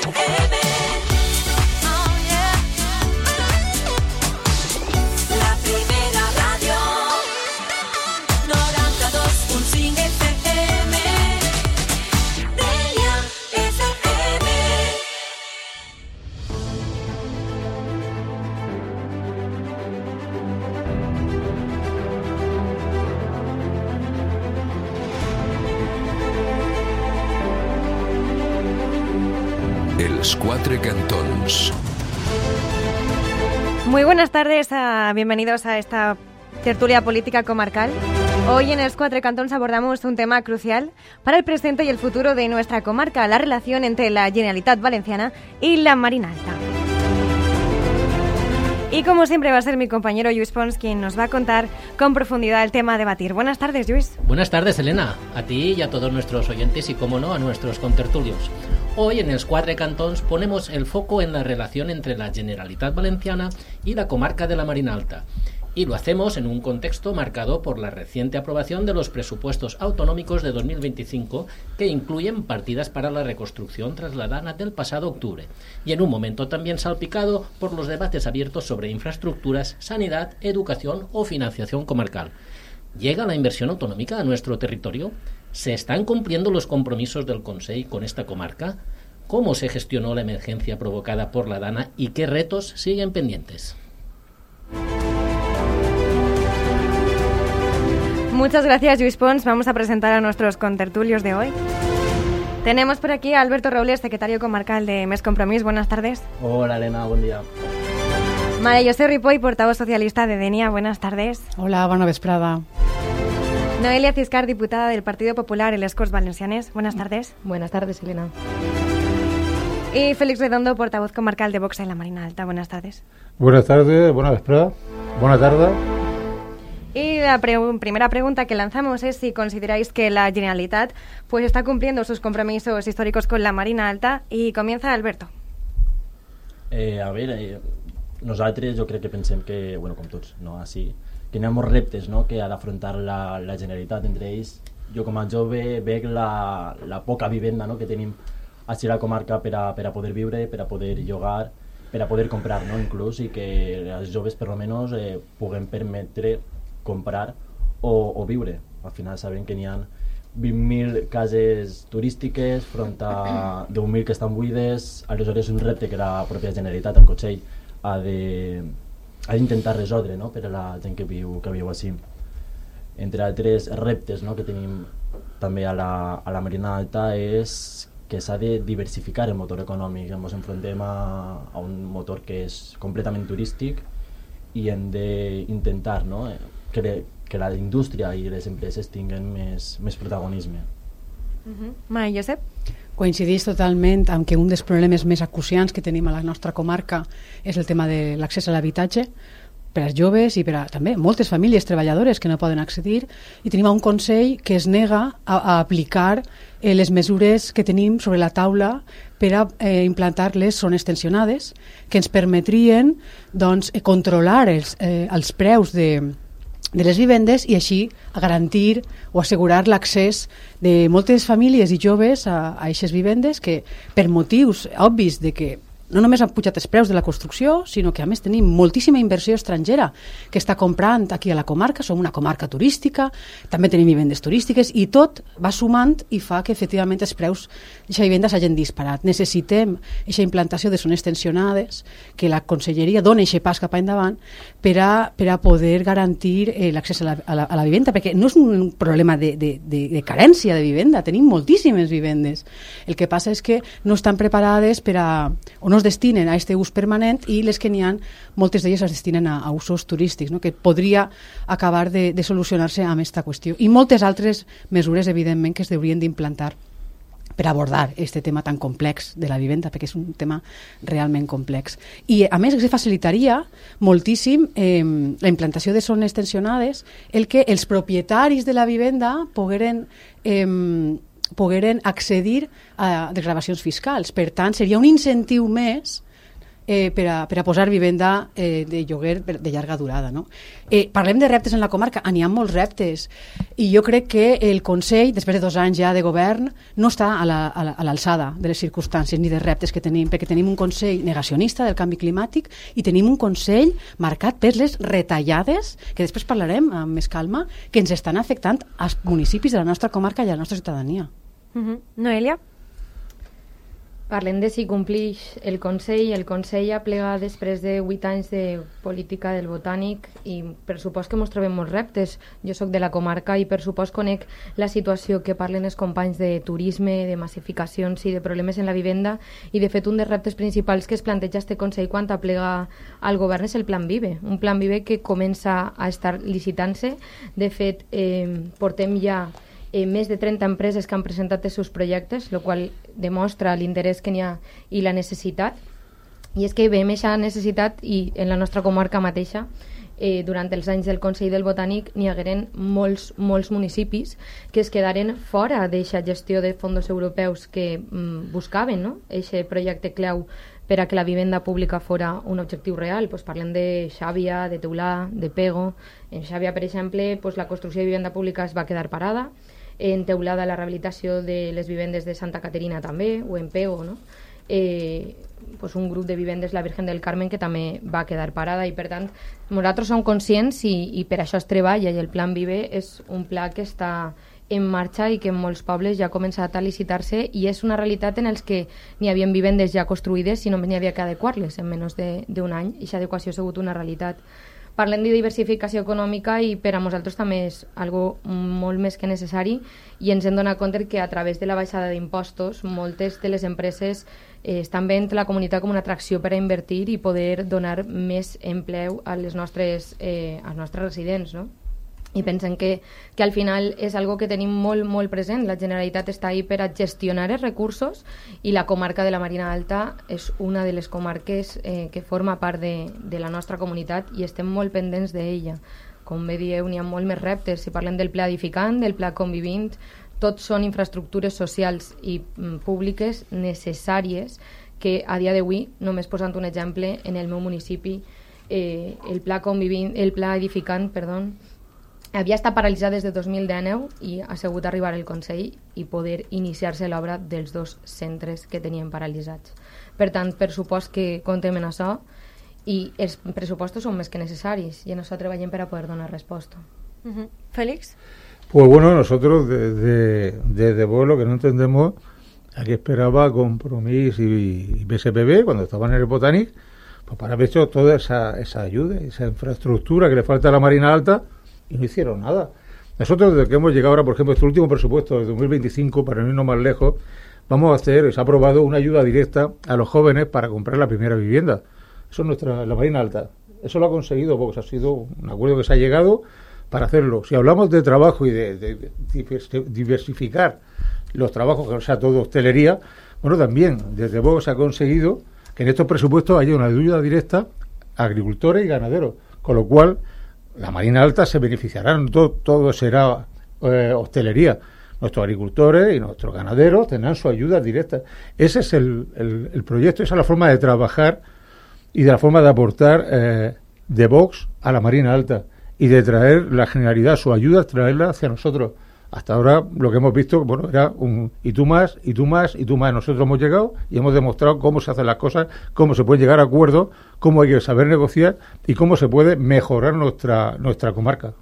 FM. Oh, yeah. La primera ràdio 92.5 FM. Deia FM. Els Quatre Cantons. Muy buenas tardes, bienvenidos a esta tertulia política comarcal. Hoy en Els Quatre Cantons abordamos un tema crucial para el presente y el futuro de nuestra comarca, la relación entre la Generalitat Valenciana y la Marina Alta. Y como siempre va a ser mi compañero Lluís Pons quien nos va a contar con profundidad el tema a debatir. Buenas tardes, Lluís. Buenas tardes, Elena, a ti y a todos nuestros oyentes y, como no, a nuestros contertulios. Hoy en Els Quatre Cantons ponemos el foco en la relación entre la Generalitat Valenciana y la comarca de la Marina Alta. Y lo hacemos en un contexto marcado por la reciente aprobación de los presupuestos autonómicos de 2025, que incluyen partidas para la reconstrucción tras la dana del pasado octubre, y en un momento también salpicado por los debates abiertos sobre infraestructuras, sanidad, educación o financiación comarcal. ¿Llega la inversión autonómica a nuestro territorio? ¿Se están cumpliendo los compromisos del Consell con esta comarca? ¿Cómo se gestionó la emergencia provocada por la dana y qué retos siguen pendientes? Muchas gracias, Lluís Pons. Vamos a presentar a nuestros contertulios de hoy. Tenemos por aquí a Alberto Robles, secretario comarcal de Més Compromís. Buenas tardes. Hola, Elena, buen día. María José Ripoll, portavoz socialista de Denia. Buenas tardes. Hola, bona vesprada. Noelia Ciscar, diputada del Partido Popular en les Corts Valencianes. Buenas tardes. Buenas tardes, Elena. Y Félix Redondo, portavoz comarcal de Vox en la Marina Alta. Buenas tardes. Buenas tardes, buena vesprada, buena tarde. Y la primera pregunta que lanzamos es si consideráis que la Generalitat pues está cumpliendo sus compromisos históricos con la Marina Alta. Y comienza Alberto. Nosaltres jo crec que pensem que, bueno, com tots, no, així, que hi ha molts reptes, no, que ha d'afrontar la Generalitat. Entre ells, jo com a jove veig la poca vivenda, no, que tenim així a la comarca per a poder viure, per a poder llogar, per a poder comprar, no, inclús, i que els joves per almenys puguem permetre comprar o viure. Al final sabem que n'hi ha 20.000 cases turístiques front a 10.000 que estan buides. Aleshores és un repte que la pròpia Generalitat, el Consell, ha d'intentar resoldre, no, per a la gent que viu així. Entre altres reptes, no, que tenim també a la Marina Alta és que s'ha de diversificar el motor econòmic. Ens enfrontem a un motor que és completament turístic i hem d'intentar, no, que la indústria i les empreses tinguen més protagonisme. Maria Josep? Coincidís totalment amb que un dels problemes més acuciants que tenim a la nostra comarca és el tema de l'accés a l'habitatge per als joves i per a també moltes famílies treballadores que no poden accedir, i tenim un Consell que es nega a aplicar les mesures que tenim sobre la taula per a implantar les zones tensionades que ens permetrien, doncs, controlar els preus de les vivendes i així garantir o assegurar l'accés de moltes famílies i joves a aquestes vivendes que, per motius obvis de que no només han pujat els preus de la construcció, sinó que a més tenim moltíssima inversió estrangera que està comprant aquí a la comarca. Som una comarca turística, també tenim vivendes turístiques i tot va sumant i fa que efectivament els preus d'aquesta vivenda s'hagin disparat. Necessitem aquesta implantació de zones tensionades, que la Conselleria doni aquest pas cap endavant per a poder garantir l'accés a la vivenda, perquè no és un problema de carència de vivenda, tenim moltíssimes vivendes. El que passa és que no estan preparades o no es destinen a aquest ús permanent, i les que n'hi ha, moltes d'elles es destinen a usos turístics, no? Que podria acabar de solucionar-se amb aquesta qüestió. I moltes altres mesures, evidentment, que es haurien d'implantar per abordar aquest tema tan complex de la vivenda, perquè és un tema realment complex. I, a més, se facilitaria moltíssim la implantació de zones tensionades, el que els propietaris de la vivenda pogueren accedir a desgravacions fiscals. Per tant, seria un incentiu més per a posar vivenda de lloguer de llarga durada. No? Parlem de reptes en la comarca, n'hi ha molts reptes, i jo crec que el Consell, després de 2 anys ja de govern, no està a l'alçada de les circumstàncies ni de reptes que tenim, perquè tenim un Consell negacionista del canvi climàtic i tenim un Consell marcat per les retallades, que després parlarem amb més calma, que ens estan afectant als municipis de la nostra comarca i a la nostra ciutadania. Noelia? Parlem de si complix el Consell. El Consell ha plegat després de 8 anys de política del Botànic i per supost que ens trobem molts reptes. Jo sóc de la comarca i per supost conec la situació que parlen els companys de turisme, de massificacions i de problemes en la vivenda, i de fet un dels reptes principals que es planteja este Consell quan aplega al govern és el Plan Vive, un Plan Vive que comença a estar licitant-se. De fet, portem ja més de 30 empreses que han presentat els seus projectes, el qual demostra l'interès que n'hi ha i la necessitat. I és que veiem aquesta necessitat i en la nostra comarca mateixa, durant els anys del Consell del Botànic, n'hi hagueren molts municipis que es quedaren fora d'aquesta gestió de fons europeus que buscaven, no? Aquest projecte clau per a que la vivenda pública fora un objectiu real. Pues parlem de Xàbia, de Teulà, de Pego. En Xàbia, per exemple, pues la construcció de vivenda pública es va quedar parada. En Teulada la rehabilitació de les vivendes de Santa Caterina també, o en Pego, no? Pues un grup de vivendes, la Virgen del Carmen, que també va quedar parada, i per tant nosaltres som conscients i per això es treballa, i el Plan Vive és un pla que està en marxa i que en molts pobles ja ha començat a licitar-se, i és una realitat en els que n'hi havia vivendes ja construïdes i només n'hi havia que adequar-les en menys d'un any, i aquesta adequació ha sigut una realitat. Parlem de diversificació econòmica i per a nosaltres també és algo molt més que necessari, i ens hem donat compte que a través de la baixada d'impostos moltes de les empreses estan veient la comunitat com una atracció per a invertir i poder donar més empleu a les nostres residents, no? I pensem que al final és algo que tenim molt present. La Generalitat està ahí per a gestionar els recursos, i la comarca de la Marina Alta és una de les comarques que forma part de la nostra comunitat i estem molt pendents d'ella. Com bé dieu, n'hi ha molt més reptes. Si parlem del Pla Edificant, del Pla Convivint, tots són infraestructures socials i públiques necessàries que a dia d'avui, només posant un exemple, en el meu municipi, el Pla Edificant, havia estat paralitzat des de 2019 i ha sigut arribar al Consell i poder iniciar-se l'obra dels 2 centres que tenien paralitzats. Per tant, per supost que comptem en això, i els pressupostos són més que necessaris, i en això treballem per a poder donar resposta. Félix? Pues bueno, nosotros desde vos lo que no entendemos, aquí esperaba Compromís y PSPB cuando estaban en el Botànic, pues para haber hecho toda esa ayuda, esa infraestructura que le falta a la Marina Alta, y no hicieron nada. Nosotros, desde que hemos llegado ahora, por ejemplo, este último presupuesto de 2025, para no irnos más lejos, vamos a hacer, se ha aprobado una ayuda directa a los jóvenes para comprar la primera vivienda. Eso es la Marina Alta. Eso lo ha conseguido porque ha sido un acuerdo que se ha llegado para hacerlo. Si hablamos de trabajo y de diversificar los trabajos, o sea, todo hostelería, bueno, también desde Vox se ha conseguido que en estos presupuestos haya una ayuda directa a agricultores y ganaderos, con lo cual la Marina Alta se beneficiarán, todo será hostelería. Nuestros agricultores y nuestros ganaderos tendrán su ayuda directa. Ese es el proyecto, esa es la forma de trabajar y de la forma de aportar de Vox a la Marina Alta y de traer la Generalidad, su ayuda, traerla hacia nosotros. Hasta ahora lo que hemos visto, bueno, era y tú más, y tú más, y tú más. Nosotros hemos llegado y hemos demostrado cómo se hacen las cosas, cómo se puede llegar a acuerdos, cómo hay que saber negociar y cómo se puede mejorar nuestra comarca.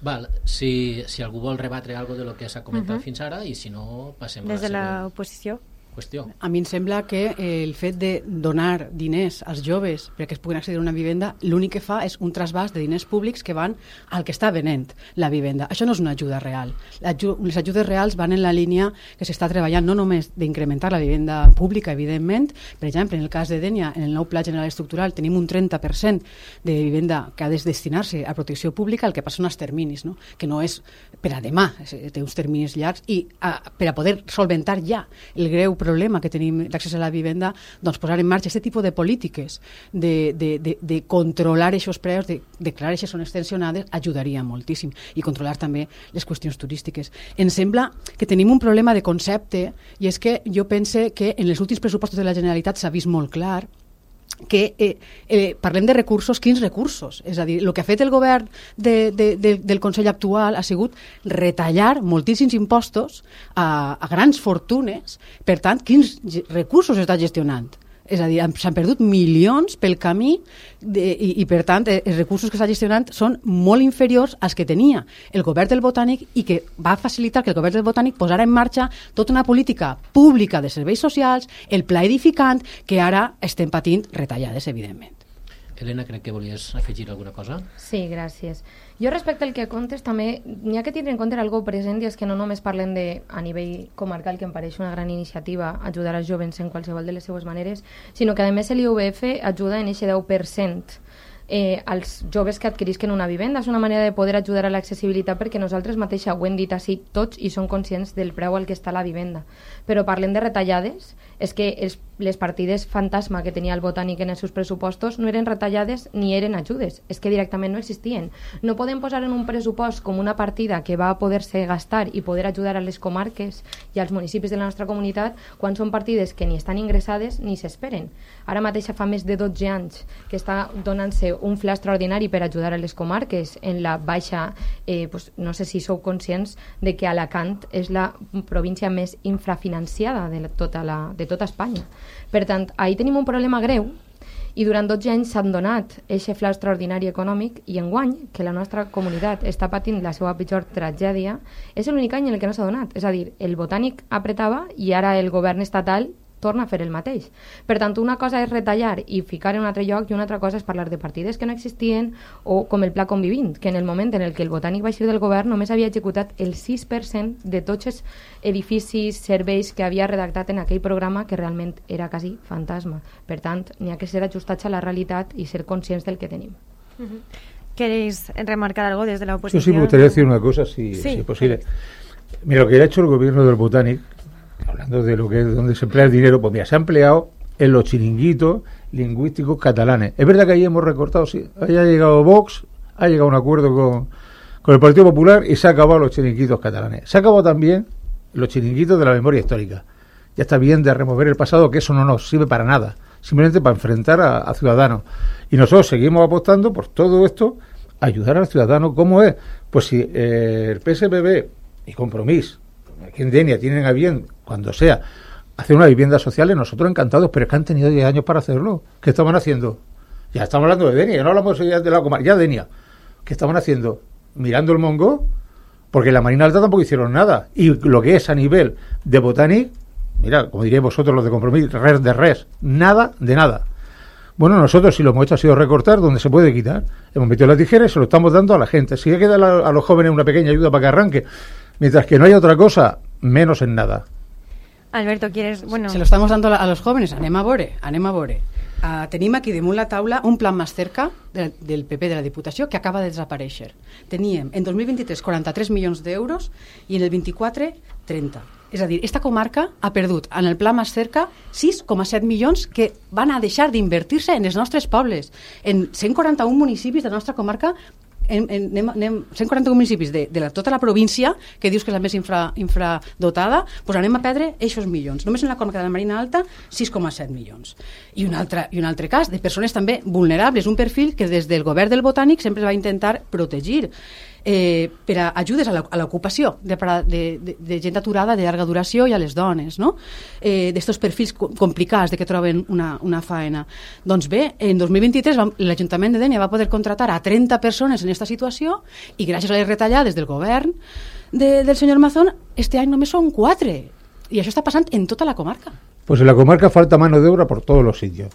Val, si algú vol rebatre algo de lo que s'ha comentat fins ara, i si no, passem a la Des de següent l'oposició. qüestió. A mi em sembla que el fet de donar diners als joves perquè es puguin accedir a una vivenda, l'únic que fa és un trasbàs de diners públics que van al que està venent la vivenda. Això no és una ajuda real. Les ajudes reals van en la línia que s'està treballant no només d'incrementar la vivenda pública, evidentment. Per exemple, en el cas de Dénia, en el nou Pla General Estructural, tenim un 30% de vivenda que ha de destinar-se a protecció pública, el que passa són els terminis, no? Que no és per a demà, té uns terminis llargs, i per a poder solventar ja el greu problema que tenim d'accés a la vivenda, doncs posar en marxa aquest tipus de polítiques de controlar aquests preus, de declarar aquestes zones tensionades, ajudaria moltíssim, i controlar també les qüestions turístiques. Em sembla que tenim un problema de concepte, i és que jo pense que en els últims pressupostos de la Generalitat s'ha vist molt clar que parlem de recursos, quins recursos? És a dir, el que ha fet el govern del Consell actual ha sigut retallar moltíssims impostos a grans fortunes. Per tant, quins recursos està gestionant? És a dir, s'han perdut milions pel camí i per tant, els recursos que està gestionant són molt inferiors als que tenia el govern del Botànic i que va facilitar que el govern del Botànic posara en marxa tota una política pública de serveis socials, el pla edificant, que ara estem patint retallades, evidentment. Helena, crec que volies afegir alguna cosa. Sí, gràcies. Jo respecte al que contes també n'hi ha que tindre en compte algo present i és que no només parlem de, a nivell comarcal, que em pareix una gran iniciativa, ajudar als jovens en qualsevol de les seues maneres, sinó que a més l'IUBF ajuda en aquest 10% als joves que adquirisquen una vivenda. És una manera de poder ajudar a l'accessibilitat perquè nosaltres mateixa ho hem dit així tots i som conscients del preu al que està la vivenda. Però parlem de retallades, és que les partides fantasma que tenia el Botànic en els seus pressupostos no eren retallades ni eren ajudes, és que directament no existien. No podem posar en un pressupost com una partida que va a poder-se gastar i poder ajudar a les comarques i als municipis de la nostra comunitat quan són partides que ni estan ingressades ni s'esperen. Ara mateix fa més de 12 anys que està donant-se un fla extraordinari per ajudar a les comarques en la baixa, no sé si sou conscients de que Alacant és la província més infrafinanciada de tota Espanya. Per tant, ahir tenim un problema greu i durant 12 anys s'han donat aquest fla extraordinari econòmic i enguany, que la nostra comunitat està patint la seva pitjor tragèdia, és l'únic any en el que no s'ha donat. És a dir, el Botànic apretava i ara el govern estatal torna a fer el mateix. Per tant, una cosa és retallar i ficar en un altre lloc i una altra cosa és parlar de partides que no existien o com el Pla Convivint, que en el moment en el que el Botànic va eixir del govern només havia executat el 6% de tots els edificis, serveis que havia redactat en aquell programa que realment era quasi fantasma. Per tant, n'hi ha que ser ajustats a la realitat i ser conscients del que tenim. ¿Queréis remarcar algo desde la Yo oposición? sí me gustaría decir una cosa, si es posible. Mira, lo que ha hecho el gobierno del Botànic, hablando de lo que es donde se emplea el dinero, pues mira, se ha empleado en los chiringuitos lingüísticos catalanes. Es verdad que ahí hemos recortado, sí, ahí ha llegado Vox, ha llegado a un acuerdo con el Partido Popular y se ha acabado los chiringuitos catalanes. Se ha acabado también los chiringuitos de la memoria histórica. Ya está bien de remover el pasado, que eso no nos sirve para nada, simplemente para enfrentar a ciudadanos. Y nosotros seguimos apostando por todo esto, ayudar al ciudadano. ¿Cómo es? Pues si el PSPB y Compromís, aquí en Denia, tienen a bien, cuando sea, hacer una vivienda social, nosotros encantados, pero es que han tenido 10 años para hacerlo. ¿Qué estaban haciendo? Ya estamos hablando de Denia, ya no hablamos ya de la comarca, ya Denia. ¿Qué estaban haciendo? Mirando el mongo, porque en la Marina Alta tampoco hicieron nada. Y lo que es a nivel de Botànic, mira, como diréis vosotros los de Compromís, res de res, nada de nada. Bueno, nosotros si lo hemos hecho ha sido recortar donde se puede quitar. Hemos metido las tijeras y se lo estamos dando a la gente. Si hay que dar a los jóvenes una pequeña ayuda para que arranque, mientras que no haya otra cosa, menos en nada. Alberto, ¿quieres...? Bueno, Se lo estamos dando a los jóvenes. Anem a veure. Tenim aquí damunt la taula un plan más cerca del PP de la Diputació que acaba de desaparèixer. Teníem en 2023 43 milions d'euros i en el 24 30. És a dir, esta comarca ha perdut en el pla más cerca 6,7 milions que van a deixar d'invertir-se en els nostres pobles. En 141 municipis de la nostra comarca, 141 municipis de tota la província, que dius que és la més infradotada, doncs anem a perdre aquests milions. Només en la comarca de la Marina Alta, 6,7 milions. I un altre cas de persones també vulnerables, un perfil que des del govern del Botànic sempre va intentar protegir per a ajudes a l'ocupació de gent aturada de llarga duració i a les dones, no? D'estos perfils complicats de que troben una faena. Doncs bé, en 2023 l'Ajuntament de Dénia va poder contratar a 30 persones en aquesta situació i gràcies a les retallades del govern del senyor Mazón, este any només són 4. I això està passant en tota la comarca. Pues en la comarca falta mano de obra por todos los sitios.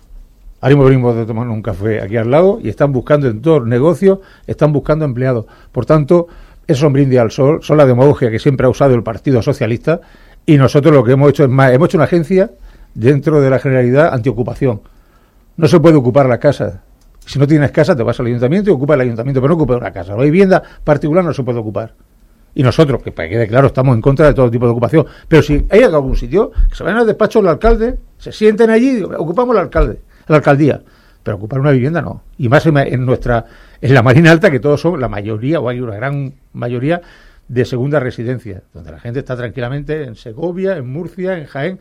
Ahora mismo venimos de tomar un café aquí al lado y están buscando en todos los negocios, están buscando empleados. Por tanto, eso es un brindis al sol, son la demagogia que siempre ha usado el Partido Socialista y nosotros lo que hemos hecho es más, hemos hecho una agencia dentro de la Generalidad antiocupación. No se puede ocupar la casa. Si no tienes casa te vas al ayuntamiento y ocupa el ayuntamiento, pero no ocupa una casa. La vivienda particular no se puede ocupar. Y nosotros, que para que quede claro, estamos en contra de todo tipo de ocupación. Pero si hay algún sitio, que se vayan al despacho del alcalde, se sienten allí y digo, ocupamos la alcaldía, pero ocupar una vivienda no. Y más en la Marina Alta, que todos son la mayoría, o hay una gran mayoría de segunda residencia, donde la gente está tranquilamente en Segovia, en Murcia, en Jaén,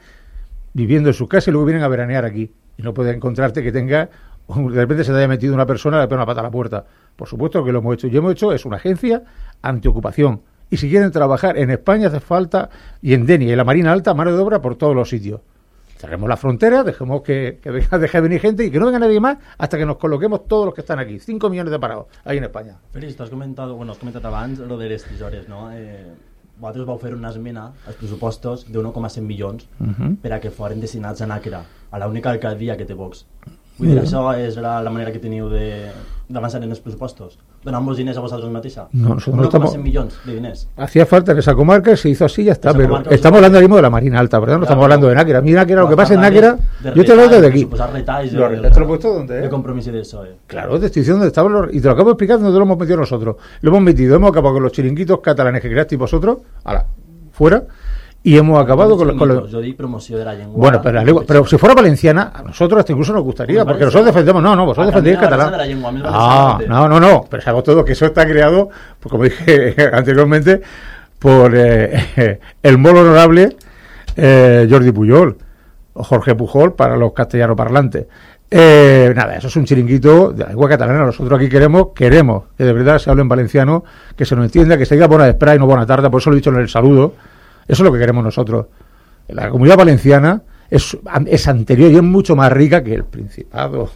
viviendo en su casa y luego vienen a veranear aquí. Y no puedes encontrarte que tenga, de repente se te haya metido una persona y le pega una pata a la puerta. Por supuesto que lo hemos hecho. Y hemos hecho, es una agencia antiocupación. Y si quieren trabajar en España hace falta, y en Denia y en la Marina Alta, mano de obra por todos los sitios. Cerremos la frontera, dejemos que deje de venir gente y que no venga nadie más hasta que nos coloquemos todos los que están aquí. 5 millones de parados ahí en España. Félix, has comentat abans lo de les tisores, no? Vosaltres vau fer una esmena als pressupostos de 1,100 milions per a que foren destinats a Nàquera, a l'única alcaldia que té Vox. Vull dir, això és la manera que teniu d'avançar en els pressupostos. Donar-vos diners a vosaltres mateixa. No, nosotros no estamos... 1,100 millones de diners. Hacía falta en esa comarca, se hizo así y ya está. Esa Pero comarca, estamos hablando ahora mismo de la Marina Alta, ¿verdad? No estamos hablando de Náquera. A mí Náquera, lo que pasa en Náquera, yo te lo digo desde aquí. ¿Te lo he puesto dónde? De compromiso de eso. Claro, te estoy diciendo dónde estaban y te lo acabo de explicar dónde lo hemos metido nosotros. Lo hemos metido, hemos acabado con los chiringuitos catalanes que creasteis vosotros, fuera. Y hemos acabado con los... Yo di promoción de la lengua. Bueno, pero si fuera valenciana, a nosotros hasta incluso nos gustaría, porque nosotros defendemos... No, vosotros defendéis el catalán. No, pero sabemos todo que eso está creado, pues, como dije anteriormente, por el muy honorable Jordi Pujol, o Jorge Pujol, para los castellano parlantes. Nada, eso es un chiringuito de la lengua catalana. Nosotros aquí queremos que de verdad se hable en valenciano, que se nos entienda, que se diga buena espera y no buena tarde, por eso lo he dicho en el saludo. Eso es lo que queremos nosotros. La Comunidad Valenciana es anterior y es mucho más rica que el Principado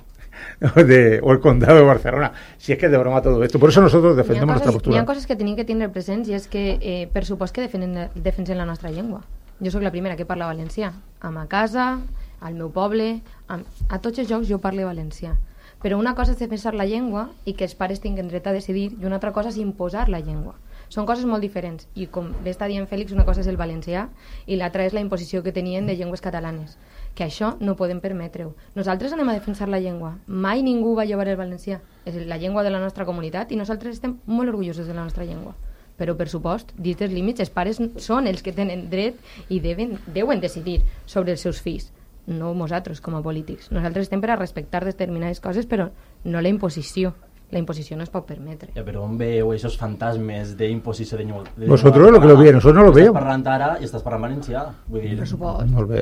o el Condado de Barcelona. Si es que es de broma todo esto. Por eso nosotros defendemos nuestra postura. Hi ha coses que tenim que tindre presents i és que, per supost que defensen la nostra llengua. Jo sóc la primera que parla valencià. A ma casa, al meu poble, a tots els jocs jo parlo valencià. Però una cosa és defensar la llengua i que els pares tinguin dret a decidir i una altra cosa és imposar la llengua. Són coses molt diferents i com bé està dient Fèlix, una cosa és el valencià i l'altra és la imposició que tenien de llengües catalanes, que això no podem permetre-ho. Nosaltres anem a defensar la llengua, mai ningú va llevar el valencià, és la llengua de la nostra comunitat i nosaltres estem molt orgullosos de la nostra llengua, però per supost, dins dels límits, els pares són els que tenen dret i deuen decidir sobre els seus fills, no nosaltres com a polítics. Nosaltres estem per a respectar determinades coses, però no la imposició. La imposición no es pot permetre. Pero on veu esos fantasmes de imposició de llengua? Vosotros lo que lo veis, nosotros no lo vemos. Estàs parlant ara i estàs parlant valencià. Vull dir,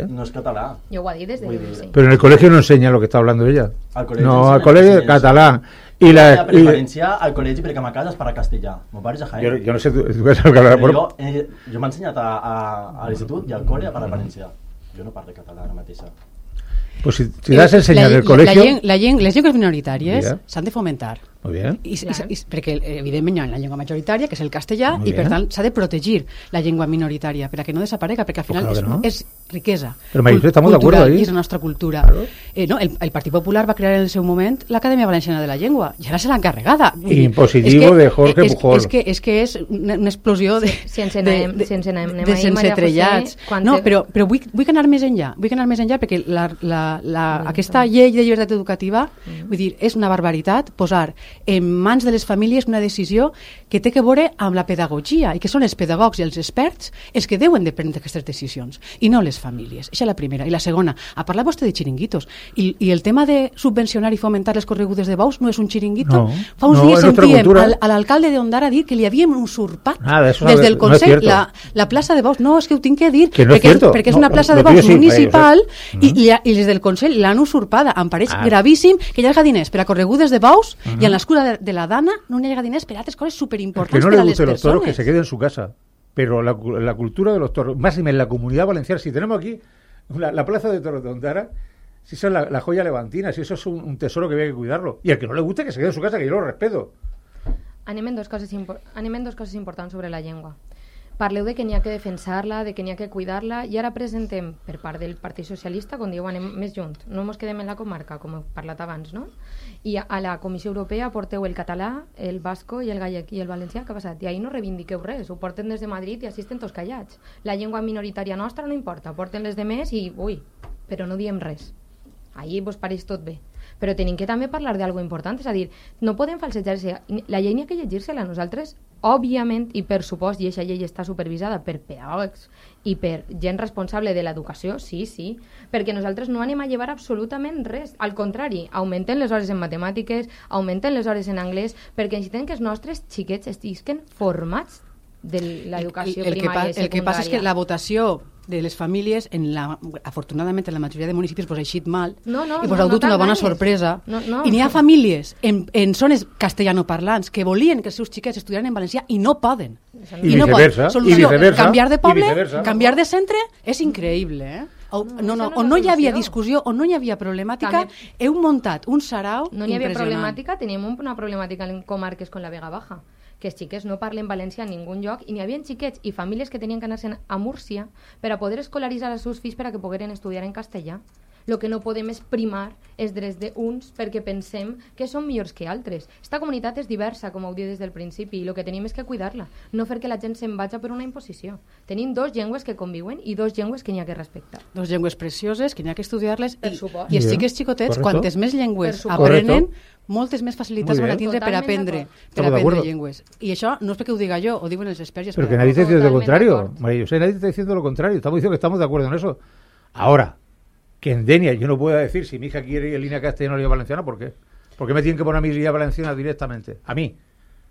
no és català. Jo ho he dit des de l'inici. Pero en el colegio no enseña lo que está hablando ella. Al colegio no, al colegio es catalán. Y la valencià al col·legi perquè a ma casa es parla castellà. Mon pare és a Jaén. Jo no sé tu què és el català. Jo m'he ensenyat a l'institut i al col·le a parlar valencià. Jo no parlo català ara mateixa. Pues si das a enseñar en el colegio... Les llengües minoritàries s'han de fomentar. Muy bien. Perquè evidentment hi ha la llengua majoritària, que és el castellà, i per tant s'ha de protegir la llengua minoritària perquè no desaparega, perquè al final és riquesa cultural i és la nostra cultura. Claro. El Partit Popular va crear en el seu moment l'Acadèmia Valenciana de la Llengua i ara se l'ha encarregada. Impositivo de Jorge Pujol. És que és una explosió de sensetrellats. No, però vull anar més enllà. Vull anar més enllà perquè aquesta llei de llibertat educativa, vull dir, és una barbaritat posar en mans de les famílies una decisió que té que veure amb la pedagogia i que són els pedagogs i els experts els que deuen de prendre aquestes decisions i no les famílies. Això és la primera. I la segona, a parlar vostè de xiringuitos i el tema de subvencionar i fomentar les corregudes de bous no és un xiringuito. Fa uns dies sentíem a l'alcalde d'Ondara dir que li havíem usurpat des del Consell la plaça de bous. No, és que ho tinc que dir perquè és una plaça de bous municipal i les del Consell l'han usurpada. Em pareix gravíssim que hi hagi diners per a corregudes de bous i en l'escura de la Dana no hi hagi diners per a altres coses superimportants per a les persones. Que no le gusten los toros, que se queden en su casa. Pero la cultura de los toros, más en la comunidad valenciana, si tenemos aquí la plaza de toros de Ondara, si eso es la joya levantina, si eso es un tesoro que había que cuidarlo. Y al que no le guste, que se quede en su casa, que yo lo respeto. Anem en dos coses importants sobre la llengua. Parleu de que n'hi ha que defensar-la, de que n'hi ha que cuidar-la, i ara presentem per part del Partit Socialista, quan diu anem més junts, no ens quedem en la comarca, com he parlat abans, no? I a la Comissió Europea porteu el català, el basco i el gallec i el valencià, què ha passat? I ahir no reivindiqueu res, ho porten des de Madrid i així estem tots callats. La llengua minoritària nostra no importa, porten les de més i, però no diem res. Ahir vos pareix tot bé. Però tenim que també parlar d'algo important, és a dir, no podem falsejar-se. La llei n'hi ha que llegir-se-la. Nosaltres, òbviament, i per supost, i aquesta llei està supervisada per pedàgogs i per gent responsable de l'educació, sí, perquè nosaltres no anem a llevar absolutament res. Al contrari, augmenten les hores en matemàtiques, augmenten les hores en anglès, perquè necessitem que els nostres xiquets estiguin formats de l'educació primària i secundària. El que passa és que la votació de les famílies, afortunadament en la majoria de municipis pues, ha eixit mal No, i pues, heu dut una bona sorpresa. I n'hi ha famílies en zones castellanoparlants que volien que els seus xiquets estudiaran en valencià i no poden. I viceversa. Solució, canviar de poble, viceversa. canviar de centre, és increïble, eh? On no hi havia discussió, on no hi havia problemàtica, heu muntat un sarau No n'hi havia impressionant. problemàtica, teníem una problemàtica en comarques com la Vega Baja, que els xiquets no parlen valencià en ningun lloc i n'hi havia xiquets i famílies que tenien que anar-se'n a Múrcia per a poder escolaritzar els seus fills per a que pogueren estudiar en castellà. El que no podem és primar els drets d'uns perquè pensem que són millors que altres. Esta comunitat és diversa, com heu dit des del principi, i el que tenim és que cuidar-la, no fer que la gent se'n vagi per una imposició. Tenim dos llengües que conviuen i dos llengües que n'hi ha que respectar. Dos llengües precioses que n'hi ha que estudiar-les Per supost. i els xiquets xicotets, Correcto. quantes més llengües Per supost. aprenen, moltes més facilitats Muy van a bien. tindre per Totalment aprendre, d'acord. per Estamos de aprendre acuerdo. llengües. I això no és perquè ho diga jo, ho diuen els experts. i Pero que experts. nadie está diciendo lo Totalmente contrario. de acuerdo. María José, nadie está diciendo lo contrario. Estamos diciendo que estamos de acuerdo en eso. Ahora, que en Denia yo no puedo decir si mi hija quiere ir en línea castellana o línea valenciana, ¿por qué? ¿Por qué me tienen que poner a mi línea valenciana directamente? A mí.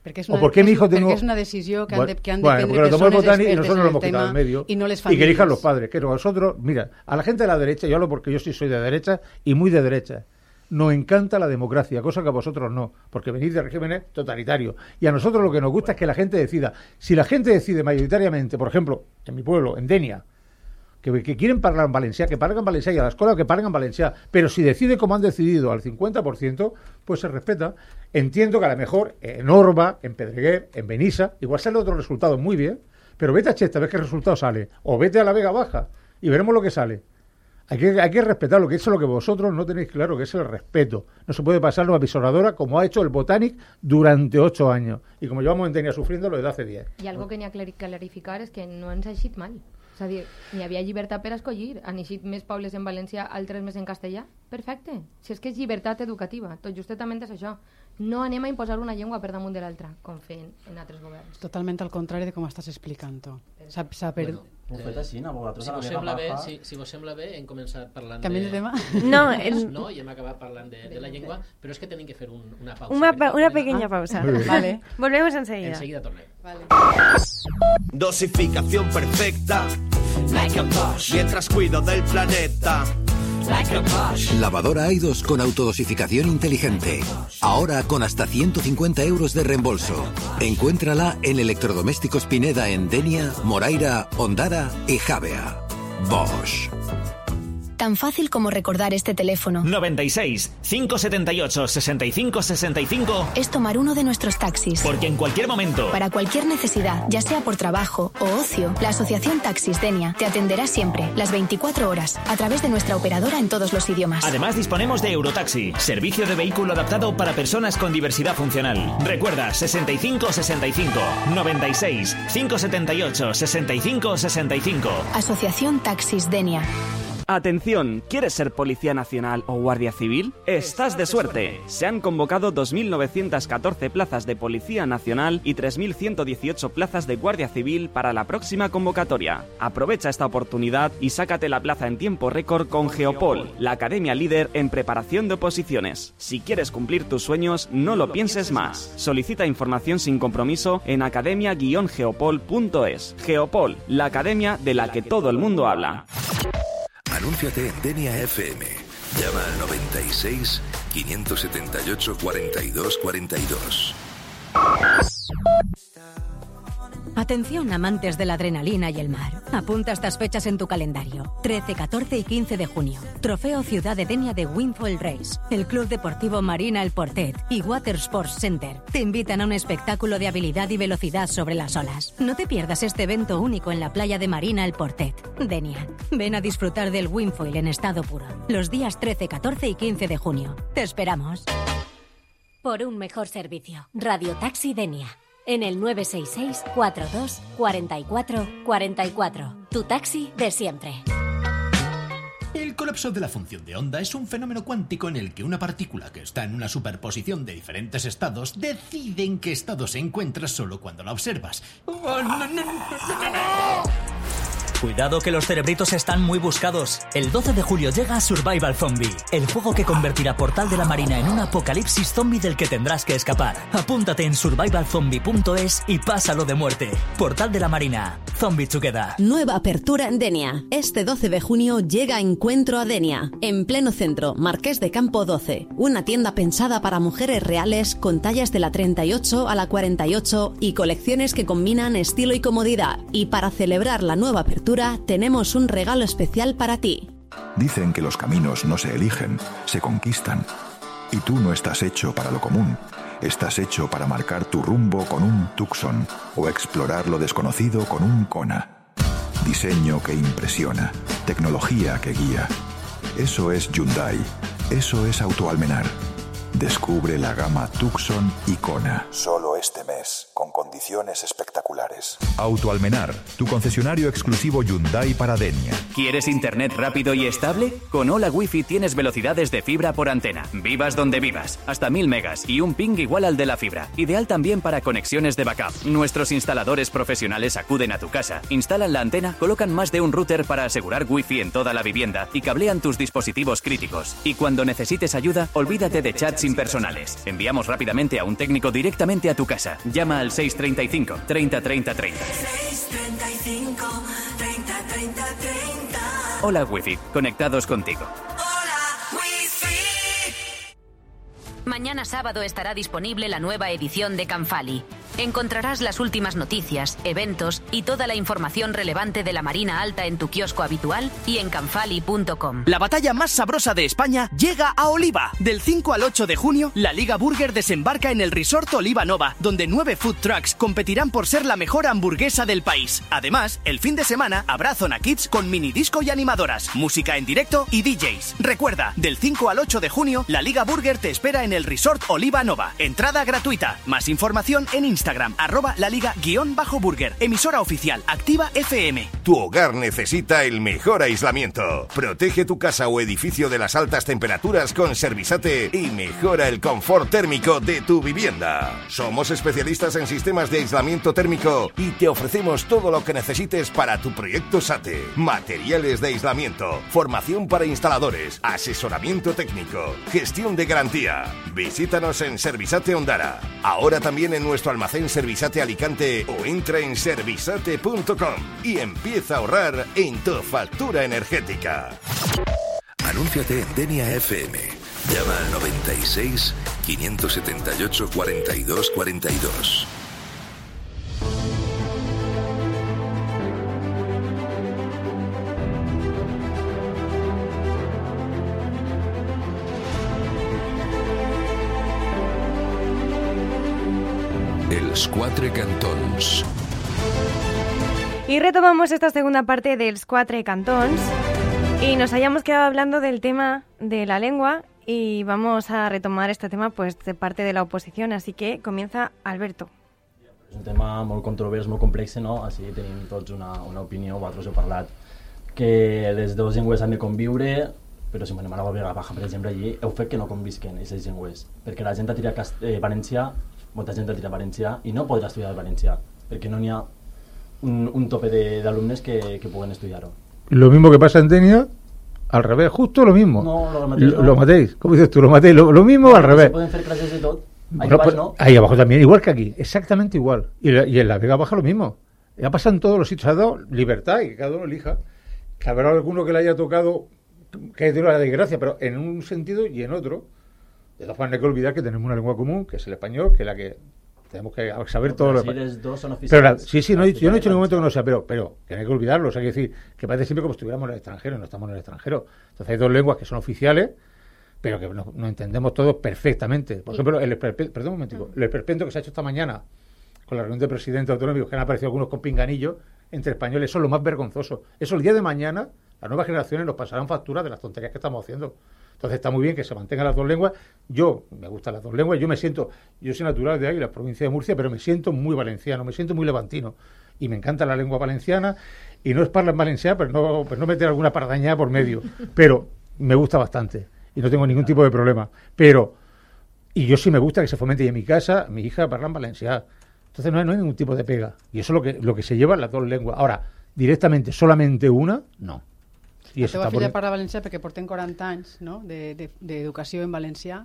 Perquè és ¿O por qué mi hijo tengo...? Perquè és una decisió que han de Bueno, prendre porque lo tomó el persones Botani y expertes nosotros en lo el hemos quitado tema en medio. y no les Y que famílies. elijan los padres. Que nosotros, mira, a la gente de la derecha, yo hablo porque yo sí soy de derecha y muy de derecha, nos encanta la democracia, cosa que a vosotros no, porque venís de regímenes totalitarios. Y a nosotros lo que nos gusta es que la gente decida. Si la gente decide mayoritariamente, por ejemplo, en mi pueblo, en Denia, que quieren hablar en valencià, que parlen valencià, y a la escuela que parlen valencià, pero si decide como han decidido al 50%, pues se respeta. Entiendo que a lo mejor en Orba, en Pedreguer, en Benissa, igual sale otro resultado muy bien, pero vete a Chesta, ves qué resultado sale, o vete a la Vega Baja y veremos lo que sale. Hay que respetarlo, que eso es lo que vosotros no tenéis claro, que es el respeto. No se puede pasar una avisoradora como ha hecho el Botanic durante 8 años. Y como llevamos en Denia sufriéndolo desde hace 10. I algo que n'hi ha que clarificar és que no ens ha eixit mal. És a dir, n'hi havia llibertat per escollir. Han eixit més pobles en valencià, altres més en castellà. Perfecte. Si és que és llibertat educativa. Tot justament és això. No anem a imposar una llengua per damunt de l'altra, com feien en altres governs. Totalment al contrari de com estàs explicant-ho. S'ha perdut. Ho fet així, a vosaltres Si a la vos Vega sembla bé, Baja... si vos sembla bé, hem començat parlant Canviem de tema? No, no, i hem acabat parlant de la llengua, però és que tenim que fer una pausa. una pequeña pausa. Vale. Volvemos enseguida. Enseguida tornem. Dosificación perfecta, like a Bosch. Mientras cuido del planeta, like a Bosch. Lavadora Aidos con autodosificación inteligente. Ahora con hasta 150 euros de reembolso. Encuéntrala en Electrodomésticos Pineda en Denia, Moraira, Ondara y Javea. Bosch. Tan fácil como recordar este teléfono. 96 578 65 65. Es tomar uno de nuestros taxis. Porque en cualquier momento, Para cualquier necesidad, ya sea por trabajo o ocio, la Asociación Taxis Denia te atenderá siempre, las 24 horas, a través de nuestra operadora en todos los idiomas. además disponemos de Eurotaxi, servicio de vehículo adaptado para personas con diversidad funcional. Recuerda 65 65 96 578 65 65. Asociación Taxis Denia. Atención, ¿quieres ser Policía Nacional o Guardia Civil? Estás de suerte. Se han convocado 2.914 plazas de Policía Nacional y 3.118 plazas de Guardia Civil para la próxima convocatoria. Aprovecha esta oportunidad y sácate la plaza en tiempo récord con Geopol, la academia líder en preparación de oposiciones. Si quieres cumplir tus sueños, no lo pienses más. Solicita información sin compromiso en academia-geopol.es. Geopol, la academia de la que todo el mundo habla. Anúnciate en Denia FM. Llama al 96 578 42 42. Atención, amantes de la adrenalina y el mar. Apunta estas fechas en tu calendario. 13, 14 y 15 de junio. Trofeo Ciudad de Denia de Windfall Race. El Club Deportivo Marina El Portet y Water Sports Center te invitan a un espectáculo de habilidad y velocidad sobre las olas. No te pierdas este evento único en la playa de Marina El Portet, Denia. Ven a disfrutar del Windfoil en estado puro. Los días 13, 14 y 15 de junio. Te esperamos. Por un mejor servicio. Radio Taxi Denia. En el 966 42 44 44. Tu taxi de siempre. El colapso de la función de onda es un fenómeno cuántico en el que una partícula que está en una superposición de diferentes estados decide en qué estado se encuentra solo cuando la observas. ¡Oh, no, no, no, no! Cuidado que los cerebritos están muy buscados. El 12 de julio llega Survival Zombie, el juego que convertirá Portal de la Marina en un apocalipsis zombie del que tendrás que escapar. Apúntate en survivalzombie.es y pásalo de muerte. Portal de la Marina. Zombie Together. Nueva apertura en Denia. Este 12 de junio llega Encuentro a Denia. En pleno centro, Marqués de Campo 12. Una tienda pensada para mujeres reales con tallas de la 38 a la 48 y colecciones que combinan estilo y comodidad. Y para celebrar la nueva apertura, tenemos un regalo especial para ti. Dicen que los caminos no se eligen, se conquistan. Y tú no estás hecho para lo común. Estás hecho para marcar tu rumbo con un Tucson o explorar lo desconocido con un Kona. Diseño que impresiona, tecnología que guía. Eso es Hyundai, eso es Autoalmenar. Descubre la gama Tucson y Kona. Solo este mes, con condiciones espectaculares. Autoalmenar, tu concesionario exclusivo Hyundai para Denia. ¿Quieres internet rápido y estable? Con Hola Wi-Fi tienes velocidades de fibra por antena. Vivas donde vivas. Hasta 1000 megas y un ping igual al de la fibra. Ideal también para conexiones de backup. Nuestros instaladores profesionales acuden a tu casa, instalan la antena, colocan más de un router para asegurar Wi-Fi en toda la vivienda y cablean tus dispositivos críticos. Y cuando necesites ayuda, olvídate de chats impersonales. Enviamos rápidamente a un técnico directamente a tu casa. Llama al 635 30 30 30. 635 30 30 30. Hola Wi-Fi, conectados contigo. Mañana sábado estará disponible la nueva edición de Canfali. Encontrarás las últimas noticias, eventos y toda la información relevante de la Marina Alta en tu kiosco habitual y en canfali.com. La batalla más sabrosa de España llega a Oliva. Del 5 al 8 de junio, la Liga Burger desembarca en el Resort Oliva Nova, donde 9 food trucks competirán por ser la mejor hamburguesa del país. Además, el fin de semana habrá zona kids con mini disco y animadoras, música en directo y DJs. Recuerda, del 5 al 8 de junio, la Liga Burger te espera en el Resort Oliva Nova. Entrada gratuita. Más información en Instagram, @laliga_burger. Emisora oficial, Activa FM. Tu hogar necesita el mejor aislamiento. Protege tu casa o edificio de las altas temperaturas con Servisate y mejora el confort térmico de tu vivienda. Somos especialistas en sistemas de aislamiento térmico y te ofrecemos todo lo que necesites para tu proyecto SATE. Materiales de aislamiento, formación para instaladores, asesoramiento técnico, gestión de garantía. Visítanos en Servisate Ondara. Ahora también en nuestro almacén Servisate Alicante o entra en servisate.com y empieza a ahorrar en tu factura energética. Anúnciate en Denia FM. Llama al 96 578 42 42. Els Quatre Cantons. Y retomamos esta segunda parte de Els Quatre Cantons y nos hayamos quedado hablando del tema de la lengua y vamos a retomar este tema pues de parte de la oposición, así que comienza Alberto. És un tema molt controvers, molt complex, no? Així tenim tots una opinió, vosaltres heu parlat que les dues llengües han de conviure, però si m'anem a la Vega Baja, per exemple, allí heu fet que no convisquen aquestes llengües, perquè la gent ha tirat valencià, molta gent ha tirat valencià i no podrà estudiar el valencià, perquè no n'hi ha un tope d'alumnes que puguen estudiar-ho. Lo mismo que pasa en Denia, al revés, justo lo mismo. No, lo matéis. ¿Cómo dices tú? Lo matéis. Lo mismo al revés. Se pueden hacer clases de todo. Bueno, pues, ahí abajo también, igual que aquí, exactamente igual. Y en la Vega Baja lo mismo. Ya pasa en todos los sitios, ha dado libertad y que cada uno elija. Que habrá alguno que le haya tocado, que haya tenido la desgracia, pero en un sentido y en otro. De todas formas, no hay que olvidar que tenemos una lengua común, que es el español, que es la que tenemos que saber todo lo que... dos son pero sí, no, yo no he dicho en ningún momento que no sea, pero que no hay que olvidarlo. O sea, hay que decir que parece siempre como si estuviéramos en el extranjero, no estamos en el extranjero. Entonces hay dos lenguas que son oficiales, pero que nos entendemos todos perfectamente. Por ejemplo, perdón un momentico, el esperpento que se ha hecho esta mañana con la reunión de presidentes autonómicos, que han aparecido algunos con pinganillos entre españoles, eso es lo más vergonzoso. Eso el día de mañana, las nuevas generaciones nos pasarán factura de las tonterías que estamos haciendo. Entonces está muy bien que se mantengan las dos lenguas. Yo, me gustan las dos lenguas, yo soy natural de Águila, provincia de Murcia, pero me siento muy valenciano, me siento muy levantino. Y me encanta la lengua valenciana, y no es parlar en valencià, pero no meter alguna pardañada por medio. Pero me gusta bastante, y no tengo ningún tipo de problema. Y yo sí me gusta que se fomente, y en mi casa, mi hija parla en valencià. Entonces no hay ningún tipo de pega. Y eso es lo que se lleva en las dos lenguas. Ahora, directamente, solamente una, no. La teva filla parla valencià perquè portem 40 anys, no?, d'educació en valencià.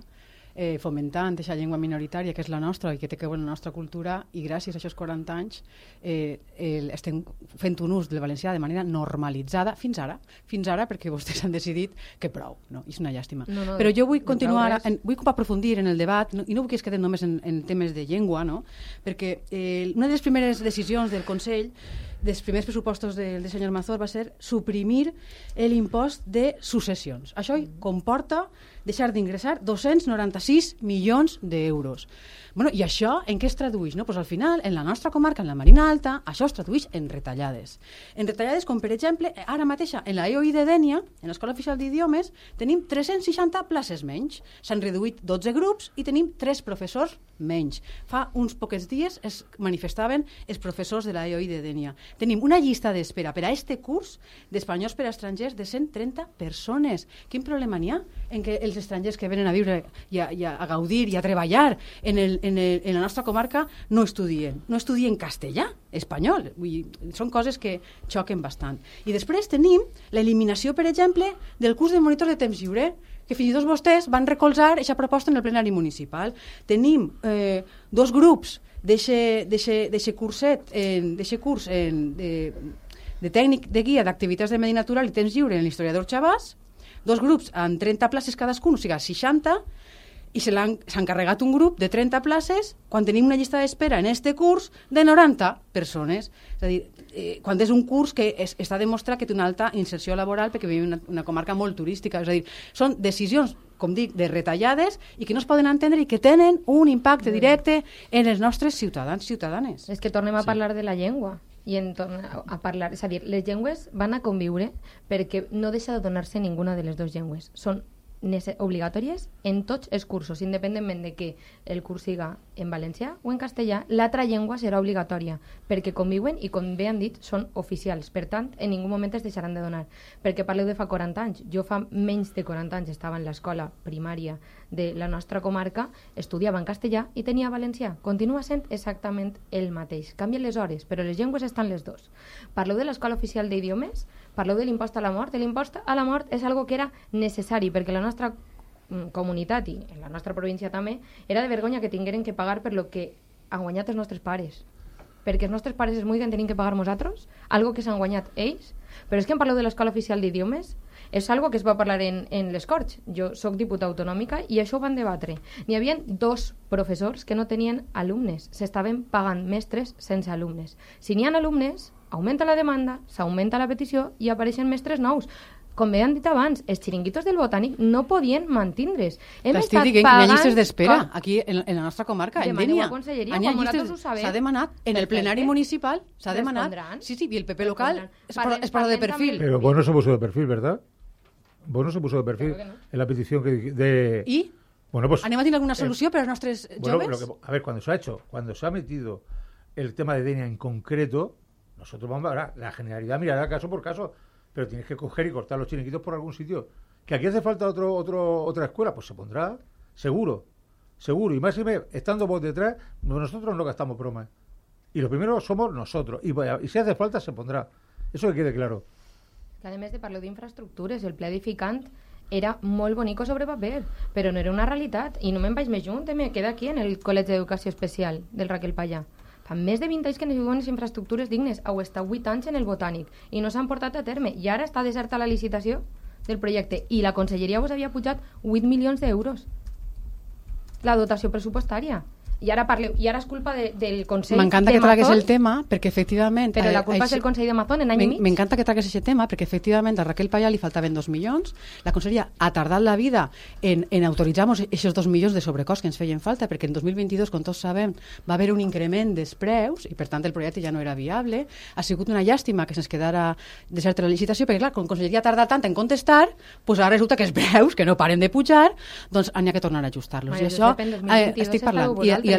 fomentant aquesta llengua minoritària que és la nostra i que té que veure la nostra cultura, i gràcies a aquests 40 anys estem fent un ús del valencià de manera normalitzada fins ara, perquè vostès han decidit que prou, no? És una llàstima. Però jo vull continuar, vull aprofundir en el debat, i no vull que es quedem només en temes de llengua, no? Perquè una de les primeres decisions del Consell, dels primers pressupostos del senyor Mazor, va ser suprimir l'impost de successions. Això comporta deixar d'ingressar 296 milions d'euros. Bueno, i això en què es tradueix? No? Pues al final, en la nostra comarca, en la Marina Alta, això es tradueix en retallades. En retallades com, per exemple, ara mateixa, en la EOI de Dénia, en l'Escola Oficial d'Idiomes, tenim 360 places menys. S'han reduït 12 grups i tenim 3 professors menys. Fa uns pocs dies es manifestaven els professors de la EOI de Dénia. Tenim una llista d'espera per a este curs d'espanyols per a estrangers de 130 persones. Quin problema n'hi ha en què els estrangers que venen a viure i a gaudir i a treballar en la nostra comarca no estudien castellà, espanyol? Vull dir, són coses que xoquen bastant. I després tenim l'eliminació, per exemple, del curs de monitor de temps lliure, que fins i tot vostès van recolzar aquesta proposta en el plenari municipal. Tenim 2 grups d'eixe curset, d'eixe curs de tècnic de guia d'activitats de medi natural i temps lliure en l'historiador Chabàs, 2 grups amb 30 places cadascun, o sigui 60, i s'han carregat un grup de 30 places quan tenim una llista d'espera en este curs de 90 persones. És a dir, quan és un curs que està demostrat que té una alta inserció laboral perquè vivim una comarca molt turística. És a dir, són decisions, com dic, de retallades i que no es poden entendre i que tenen un impacte directe en els nostres ciutadans i ciutadanes. És que tornem a parlar de la llengua. I en tornar a parlar, és a dir, les llengües van a conviure perquè no deixa de donar-se ninguna de les dues llengües. Són obligatòries en tots els cursos, independentment de que el curs siga en valencià o en castellà, l'altra llengua serà obligatòria, perquè conviuen i, com bé han dit, són oficials. Per tant, en ningú moment es deixaran de donar. Perquè parleu de fa 40 anys. Jo fa menys de 40 anys estava en l'escola primària de la nostra comarca, estudiava en castellà i tenia valencià. Continua sent exactament el mateix. Canvien les hores, però les llengües estan les dues. Parleu de l'Escola Oficial d'Idiomes, parleu de l'impost a la mort. L'impost a la mort és algo que era necessari, perquè la nostra comunitat i en la nostra província també era de vergonya que tingueren que pagar per lo que han guanyat els nostres pares, perquè els nostres pares es multen, tenim que pagar nosaltres algo que s'han guanyat ells. Però és que en parleu de l'Escola Oficial d'Idiomes, és algo que es va parlar en les Corts. Jo sóc diputada autonòmica i això ho van debatre. N'hi havia 2 professors que no tenien alumnes, s'estaven pagant mestres sense alumnes. Si n'hi ha alumnes, augmenta la demanda, s'augmenta la petició i apareixen mestres nous. Com bé han dit abans, els xiringuitos del Botànic no podien mantindre's. T'estic dient que hi ha llistes d'espera aquí en la nostra comarca, en Dénia. S'ha demanat en el plenari municipal, s'ha demanat. Sí, i el PP local es parla de perfil. Pero vos no se puso de perfil, ¿verdad? Vos no se puso de perfil en la petición de... ¿Y? Bueno, pues... ¿Anem a tener alguna solución para los nuestros jóvenes? A ver, cuando se ha metido el tema de Dénia en concreto, nosotros vamos a ver, la Generalidad mirará caso por caso, pero tienes que coger y cortar los chiringuitos por algún sitio. ¿Que aquí hace falta otra escuela? Pues se pondrá, seguro. Y más estando vos detrás, nosotros no gastamos bromas. Y lo primero somos nosotros. Y si hace falta, se pondrà. Eso que quede claro. Que a més de parlar d'infraestructures, el ple edificant era molt bonico sobre paper, però no era una realitat. I no me'n vaig més junt, me queda aquí en el Col·legi d'Educació Especial del Raquel Pallà. Fa més de 20 anys que necessiten les infraestructures dignes. Heu estat 8 anys en el Botànic i no s'han portat a terme. I ara està deserta la licitació del projecte i la Conselleria vos havia pujat 8 milions d'euros la dotació pressupostària. I ara parleu, i ara és culpa del Consell de Mazón. M'encanta que tragues el tema, perquè efectivament... Però la culpa és del Consell de Mazón en any i mig. M'encanta que tragues aquest tema, perquè efectivament a Raquel Pallà li faltaven 2 milions, la Conselleria ha tardat la vida en autoritzar-nos aquests 2 milions de sobrecost que ens feien falta, perquè en 2022, com tots sabem, va haver un increment dels preus, i per tant el projecte ja no era viable. Ha sigut una llàstima que se'ns quedara deserta la licitació, perquè clar, com la Conselleria ha tardat tant en contestar, doncs ara resulta que els preus, que no paren de pujar, doncs n'hi ha que tornar a ajustar-los. I això estic parlant. I i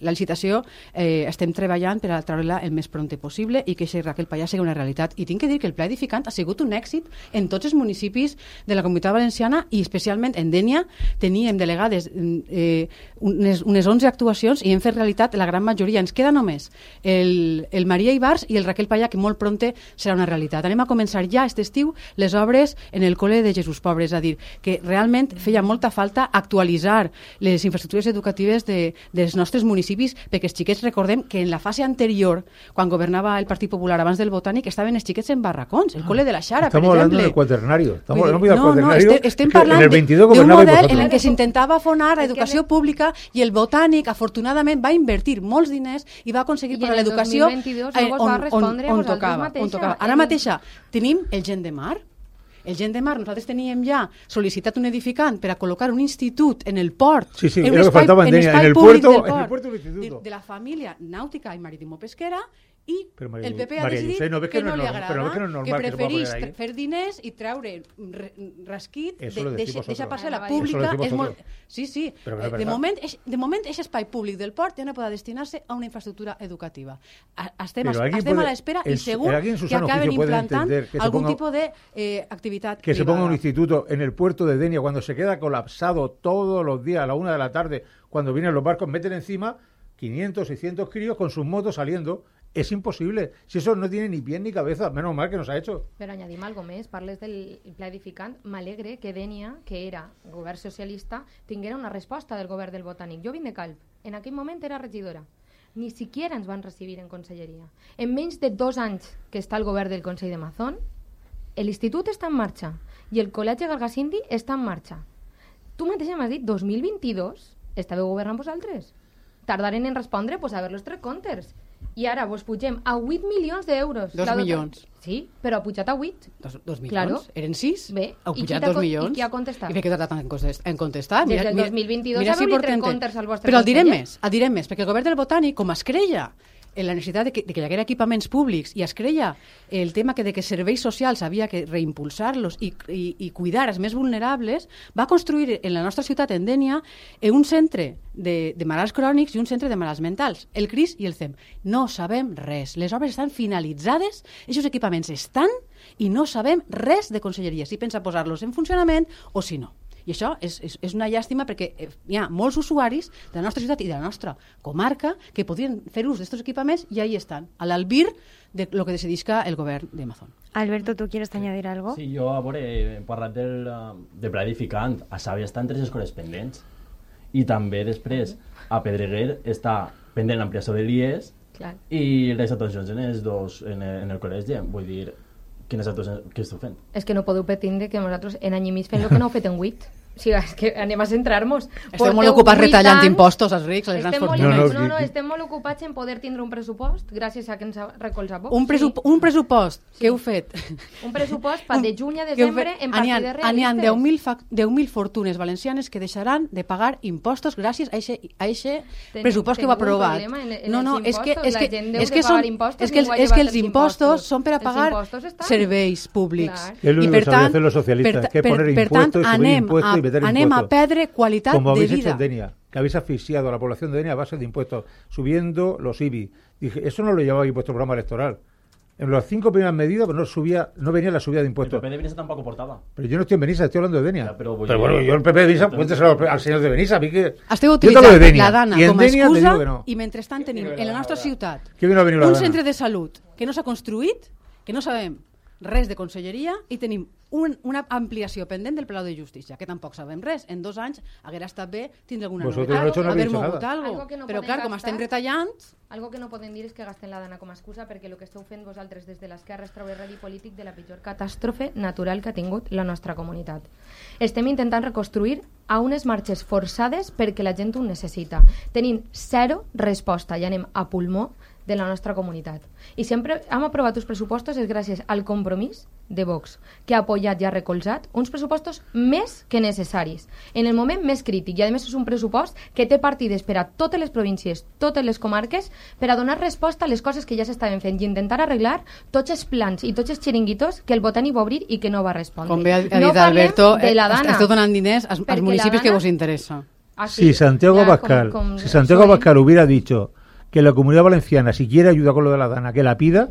la licitació estem treballant per a treure-la el més prompte possible i que aquest Raquel Pallà sigui una realitat. I tinc que dir que el Pla Edificant ha sigut un èxit en tots els municipis de la Comunitat Valenciana i especialment en Dénia teníem delegades unes 11 actuacions i hem fet realitat la gran majoria. Ens queda només el Maria Ibars i el Raquel Pallà, que molt prompte serà una realitat. Anem a començar ja aquest estiu les obres en el Col·le de Jesús Pobre, és a dir, que realment feia molta falta actualitzar les infraestructures educatives dels nostres municipis, perquè els xiquets, recordem que en la fase anterior, quan governava el Partit Popular abans del Botànic, estaven els xiquets en barracons, el Col·le de la Xara, per exemple. Estamos hablando del cuaternario. Estem parlant d'un model en el que s'intentava afonar l'educació pública i el Botànic, afortunadament, va invertir molts diners i va aconseguir per a l'educació on tocava. Ara mateixa tenim el Gent de Mar. El Gent de Mar, nosaltres teníem ja sol·licitat un edificant per a col·locar un institut en el port, en un espai públic del port, de la família nàutica i maritimo-pesquera, i el PP ha decidit que no li agrada, que preferís fer diners i treure rasquit, deixar passar la pública. Sí, de moment, aquest espai públic del port ja no pot destinar-se a una infraestructura educativa. Estem a l'espera i segur que acaben implantant algún tipus d'activitat privada. Que se ponga un instituto en el puerto de Denia cuando se queda colapsado todos los días a la 1 de la tarde, cuando vienen los barcos, meten encima 500, 600 críos con sus motos saliendo. És impossible. Si això no tiene ni pie ni cabeza, menos mal que nos ha hecho. Però añadim algo més. Parles del pla edificant. M'alegre que Dénia, que era govern socialista, tinguera una resposta del govern del Botànic. Jo vinc de Calp. En aquell moment era regidora. Ni siquiera ens van recibir en conselleria. En menys de 2 anys que està el govern del Consell de Mazón, l'institut està en marxa i el col·legi Gargasindi està en marxa. Tu mateixa m'has dit 2022 estàveu governant vosaltres. Tardaren en respondre pues, a veure els 3 comptes. I ara vos pugem a 8 milions d'euros. 2 milions. Sí, però ha pujat a 8. 2 milions? Claro. Eren 6? Bé. Ha pujat 2 milions. I qui ha contestat? I per què ha tardat en contestar? Des del 2022 ha obrit 3 comptes al vostre Però el direm més, perquè el govern del Botànic, com es creia en la necessitat de que hi haguera equipaments públics i es creia el tema de que serveis socials havia que reimpulsar-los i cuidar els més vulnerables, va construir en la nostra ciutat, en Dénia, un centre de malalts crònics i un centre de malalts mentals, el CRIS i el CEM. No sabem res. Les obres estan finalitzades, aquests equipaments estan i no sabem res de conselleria, si pensa posar-los en funcionament o si no. I això és una llàstima perquè hi ha molts usuaris de la nostra ciutat i de la nostra comarca que podrien fer ús d'aquests equipaments i ahí estan, a l'albir de lo que decidisca el govern de Mazón. Alberto, ¿tú quieres añadir algo? Sí, jo he parlat del pla edificant. A Sàvia estan 3 escoles pendents i també després a Pedreguer està pendent l'ampliació de l'IES i les actuacions en el col·legi. Vull dir, quines actuacions que esteu fent? És que no podeu pretendre que nosaltres en any i mig fem el que no heu fet en 8. O sigui, és que anem a centrar-nos. Estem molt ocupats retallant impostos als rics, a les grans fortunes. No, estem molt ocupats en poder tindre un pressupost gràcies a que ens recolza Vox. Un pressupost que heu fet. Un pressupost per de juny a desembre en partides realistes. N'hi ha 10.000 fortunes valencianes que deixaran de pagar impostos gràcies a aquest pressupost que heu aprovat. No, és que els impostos són per a pagar serveis públics. És l'únic que sabien fer los socialistas, que poner impuestos y subir impuestos. Anem a perdre qualitat de vida. Como habéis hecho en Denia, que habéis asfixiado a la población de Denia a base de impuestos, subiendo los IBI. Dije, eso no lo llevaba aquí vuestro programa electoral. En las 5 primeras medidas pues no venía la subida de impuestos. El PP de Benissa tampoco portaba. Pero yo no estoy en Benissa, estoy hablando de Denia. Ya, pero bueno, yo el PP de Benissa, cuénteselo al señor de Benissa. A mí que... Esteu utilitzant la Dana com a excusa i mentrestant tenim en la nostra ciutat un centre de salut que no s'ha construït, que no sabem res de conselleria i tenim una ampliació pendent del Palau de Justícia, que tampoc sabem res. En 2 anys haguera estat bé tindre alguna novetat, haver mogut alguna cosa. Però clar, com estem retallant... Algo que no podem dir és que gasten la Dana com a excusa, perquè el que esteu fent vosaltres des de l'esquerra és treure rèdit polític de la pitjor catàstrofe natural que ha tingut la nostra comunitat. Estem intentant reconstruir a unes marxes forçades perquè la gent ho necessita. Tenim 0 resposta i anem a pulmó de la nostra comunitat. I sempre hem aprovat uns pressupostos és gràcies al compromís de Vox, que ha apoyat i ha recolzat uns pressupostos més que necessaris, en el moment més crític, i a més és un pressupost que té partides per a totes les províncies, totes les comarques, per a donar resposta a les coses que ja s'estaven fent i intentar arreglar tots els plans i tots els xiringuitos que el Botànic va obrir i que no va respondre. Com bé ha dit Alberto, esteu donant diners als municipis que vos interessa. Si Santiago Abascal hubiera dicho que la Comunidad Valenciana, si quiere ayuda con lo de la Dana, que la pida,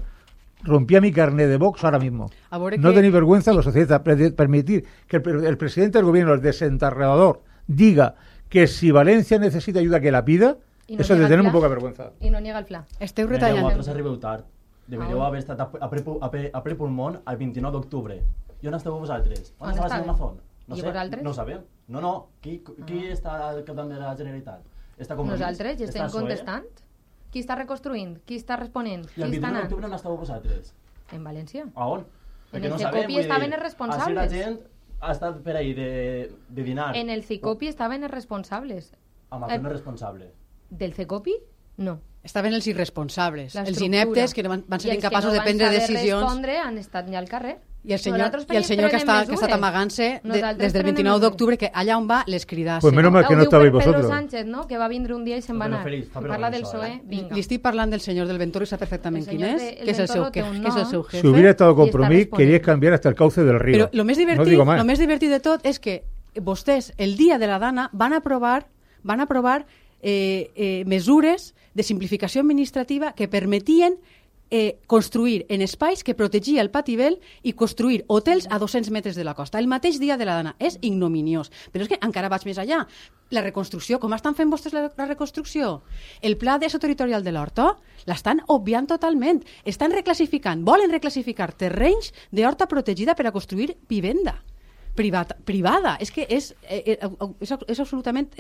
rompía mi carnet de Vox ahora mismo. No tenéis vergüenza los socialistas permitir que el presidente del gobierno, el desenterrador, diga que si Valencia necesita ayuda que la pida, no eso es de tener muy poca vergüenza. I no niega el fla. Esteu retallant. Vosaltres arribeu tard. Deberíeu haver estat a ple pulmón el 29 d'octubre. I on esteu vosaltres? On estava el senyor Mazón? I vosaltres? No ho sabem. No. Qui està al capdavant de la Generalitat? Nosaltres ja estem contestant. Qui està reconstruint? Qui està responent? I el 29 d'octubre on esteu vosaltres? En València. A on? En el CECOPI estaven els responsables. Així la gent ha estat per ahir de dinar. En el CECOPI estaven els responsables. Amazon és responsable. Del CECOPI? No. Estaven els irresponsables, els ineptes que van ser incapaços de prendre decisions. I els que no van saber respondre han estat ja al carrer. I el senyor que ha estat amagant-se des del 29 d'octubre, que allà on va les cridasse. Pues menos mal que no estabais vosotros. Pedro Sánchez, no? Que va vindre un dia i se'n va anar. Parla del PSOE, vinga. Li estic parlant del senyor del Ventoro i sap perfectament quin és, que és el seu jefe. Si hubiera estado Compromís, queríais cambiar hasta el cauce del río. Però lo més divertit de tot és que vostès, el dia de la Dana, van aprovar mesures de simplificació administrativa que permetien construir en espais que protegia el Patibel i construir hotels a 200 metres de la costa. El mateix dia de la Dana. És ignominiós. Però és que encara vaig més allà. La reconstrucció, com estan fent vostès la reconstrucció? El pla d'uso territorial de l'horta l'estan obviant totalment. Estan reclassificant, volen reclassificar terrenys d'horta protegida per a construir vivenda privada. És que és absolutament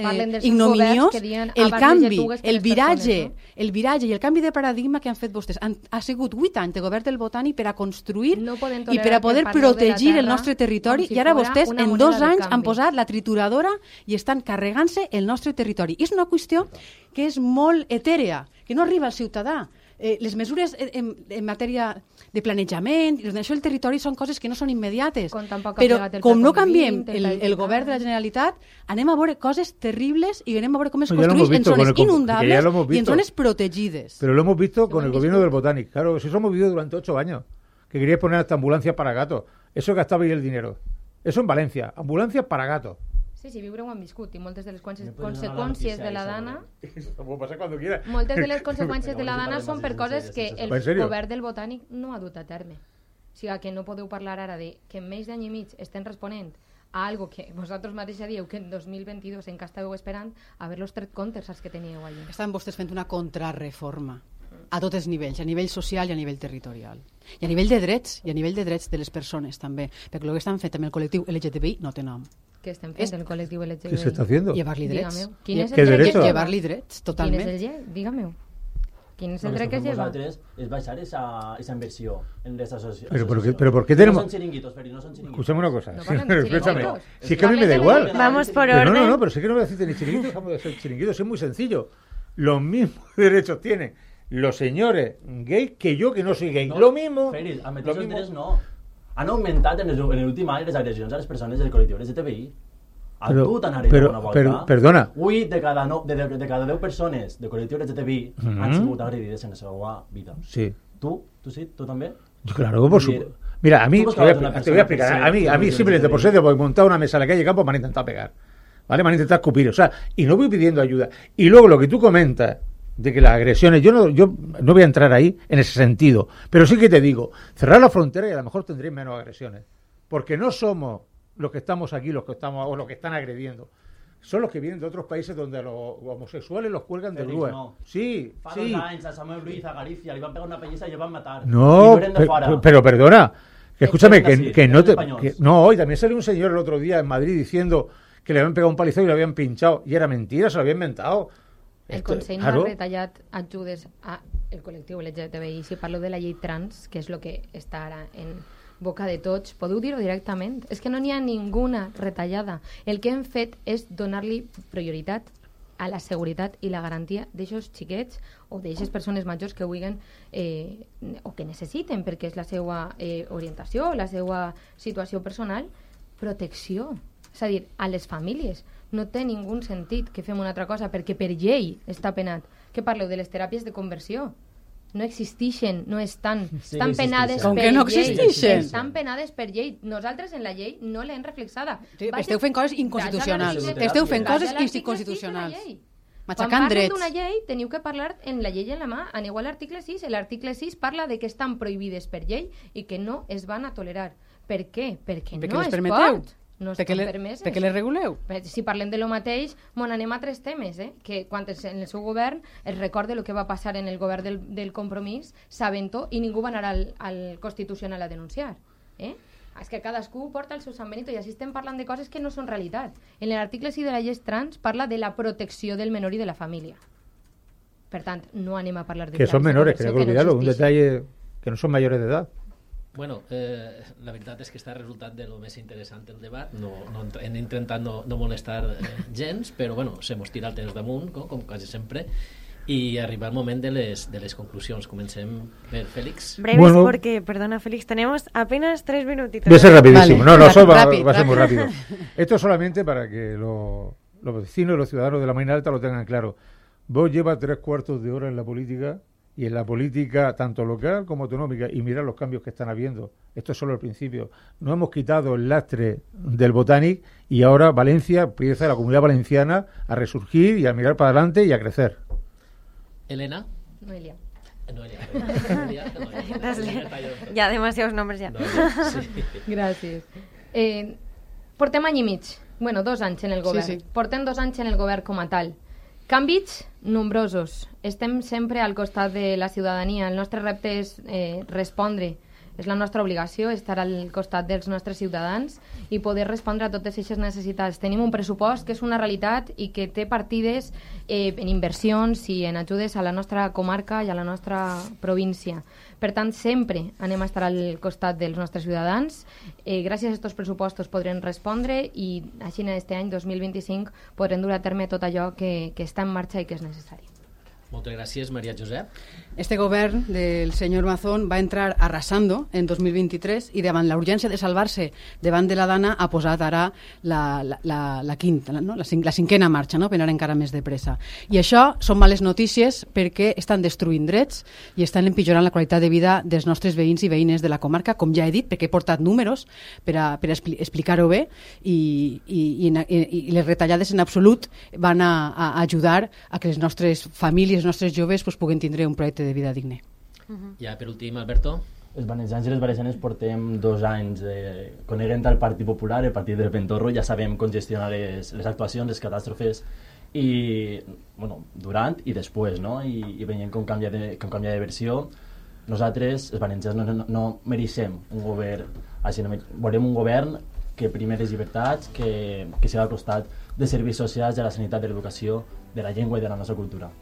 ignominiós el canvi, el viratge i el canvi de paradigma que han fet vostès. Ha sigut 8 anys de govern del Botànic per a construir i per a poder protegir el nostre territori, i ara vostès en 2 anys han posat la trituradora i estan carregant-se el nostre territori. I és una qüestió que és molt etèrea, que no arriba al ciutadà. Les mesures en matèria de planejament i d'ordenació del territori són coses que no són immediates, però com no canviem el govern de la Generalitat, anem a veure coses terribles i anem a veure com es construeix en zones inundables y en zones protegidas. Pero lo hemos visto con el gobierno del Botànic. Claro, si eso hemos vivido durante 8 años, que queríais poner hasta ambulancias para gatos. Eso gastabais el dinero. Eso en Valencia, ambulancias para gatos. Sí, viure ho han viscut i moltes de les conseqüències de la Dana... Moltes de les conseqüències de la Dana són per coses que el govern del Botànic no ha dut a terme. O sigui que no podeu parlar ara de que en menys d'any i mig estem responent a algo que vosaltres mateix dieu que en 2022 encara estàveu esperant haver-los tret comptes als que teníeu allà. Estan vostès fent una contrarreforma a tots els nivells, a nivell social i a nivell territorial. I a nivell de drets, de les persones també, perquè el que estan fent amb el col·lectiu LGTBI no té nom. Què estem fent el col·lectiu LGTBI? ¿Qué se está haciendo? Llevar-li drets. Quin és el dret? Llevar-li drets, totalment. Quin és el dret? Dígame-ho. Quin és el dret que lleva? Es baixar esa inversión en les asociacions. Pero ¿por qué tenemos...? No son chiringuitos, Feri, no son chiringuitos. Escuchame una cosa. No parlen de chiringuitos. Si es que a mí me da igual. Vamos por orden. No, pero si es que no voy a decirte ni chiringuitos, dejamos de ser chiringuitos. Es muy sencillo. Los mismos derechos tienen los señores gays que yo, que no soy gay. Lo mismo. Feri, a metres els drets no. Han augmentat en l'últim any les agressions a les persones del col·lectiu LGTBI. Perdona. 8 de cada 10 persones del col·lectiu LGTBI han sigut agredides en la seva vida. Sí. ¿Tú sí? ¿Tú también? Claro, por supuesto. Mira, a mí, te voy a explicar. A mí simplemente por ser de montar una mesa en la calle Campo me han intentado pegar. ¿Vale? Me han intentado escupir. O sea, y no voy pidiendo ayuda. Y luego lo que tú comentas de que las agresiones, yo no voy a entrar ahí en ese sentido. Pero sí que te digo, cerrar la frontera y a lo mejor tendréis menos agresiones. Porque no somos los que estamos aquí, los que están agrediendo. Son los que vienen de otros países donde los homosexuales los cuelgan de grúa. No. Sí, Fa 2 anys a Samuel Ruiz, a Galicia, li van pegar una pellizca y le van matar. No, pero perdona, que escúchame, que no te... No, y también salió un señor el otro día en Madrid diciendo que le habían pegado un palizón y le habían pinchado. Y era mentira, se lo había inventado. El Consell no ha retallat ajudes al col·lectiu LGTBI. Si parlo de la llei trans, que és el que està ara en boca de tots, podeu dir-ho directament. És que no n'hi ha ninguna retallada. El que hem fet és donar-li prioritat a la seguretat i la garantia d'aixos xiquets o d'aixes persones majors que vulguin o que necessiten, perquè és la seva orientació, la seva situació personal, protecció. És a dir, a les famílies. No té ningú sentit que fem una altra cosa, perquè per llei està penat. Què parleu de les teràpies de conversió? no existeixen, no estan. Sí, estan penades Com per que no llei. existeixen? Estan penades per llei. Nosaltres en la llei no l'hem reflexada. Sí, esteu fent coses inconstitucionals. Esteu fent coses inconstitucionals. Quan Matxacant parlen drets. d'una llei, teniu que parlar en la llei en la mà. Aneu a l'article 6. L'article 6 parla de que estan prohibides per llei i que no es van a tolerar. Per què? Perquè no les es permeteu? pot. No Perquè estan le- permeses. perquè les reguleu? Si parlem de lo mateix, anem a altres temes, que quan en el seu govern es recorda el que va passar en el govern del Compromís, sabent-ho, i ningú va anar al Constitucional a denunciar. És que cadascú porta el seu San Benito i així estem parlant de coses que no són realitat. En l'article 6 de la llei trans parla de la protecció del menor i de la família. Per tant, no anem a parlar de... Que son menores, que no hay que olvidarlo, un detalle que no son mayores de edad. Bueno, la veritat és que està resultat de lo més interessant el debat. Hem intentat no molestar gens, però bueno, se mos tira el temps damunt, com quasi sempre, i arriba el moment de les conclusions. Comencem per Félix. Breves porque, perdona Félix, tenemos apenas 3 minutitos. Voy a ser rapidísimo. Vale. No, eso va a ser muy rápido. Esto solamente para que los vecinos y los ciudadanos de la Marina Alta lo tengan claro. Vos llevas 3/4 de hora en la política, y en la política tanto local como autonómica, y mirad los cambios que están habiendo. Esto es solo el principio. Nos hemos quitado el lastre del Botanic y ahora Valencia empieza, la Comunidad Valenciana, a resurgir y a mirar para adelante y a crecer. Elena. Noelia. Ya, demasiados nombres ya. Gràcies. Portem any i mig. Bueno, 2 anys en el govern. Sí. Portem 2 anys en el govern com a tal. Canvis nombrosos. Estem sempre al costat de la ciutadania. El nostre repte és respondre. És la nostra obligació estar al costat dels nostres ciutadans i poder respondre a totes aquestes necessitats. Tenim un pressupost que és una realitat i que té partides en inversions i en ajudes a la nostra comarca i a la nostra província. Per tant, sempre anem a estar al costat dels nostres ciutadans. Gràcies a aquests pressupostos podrem respondre i així en aquest any 2025 podrem dur a terme tot allò que està en marxa i que és necessari. Moltes gràcies, Maria Josep. Este govern del senyor Mazón va entrar arrasando en 2023 i davant la urgència de salvar-se davant de la Dana ha posat ara la quinta, no? la cinquena marxa, no? Per anar encara més de pressa. I això són males notícies perquè estan destruint drets i estan empitjorant la qualitat de vida dels nostres veïns i veïnes de la comarca, com ja he dit, perquè he portat números per a explicar-ho bé i les retallades en absolut van a ajudar a que les nostres famílies, els nostres joves puguin tindre un projecte de vida digne. Ja per últim, Alberto. Els valencians i les valencianes portem 2 anys coneguent el Partit Popular, el partit del Ventorro, ja sabem com gestionar les actuacions, les catàstrofes, i bueno, durant i després, no? I veient com canvia de versió. Nosaltres, els valencians, no mereixem un govern així, volem un govern que primi les llibertats, que sigui al costat de serveis socials, de la sanitat, de l'educació, de la llengua i de la nostra cultura.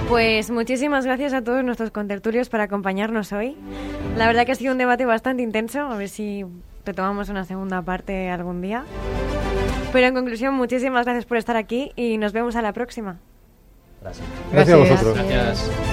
Pues muchísimas gracias a todos nuestros contertulios por acompañarnos hoy. La verdad que ha sido un debate bastante intenso, a ver si retomamos una segunda parte algún día. Pero en conclusión, muchísimas gracias por estar aquí y nos vemos a la próxima. Gracias. Gracias a vosotros. Gracias.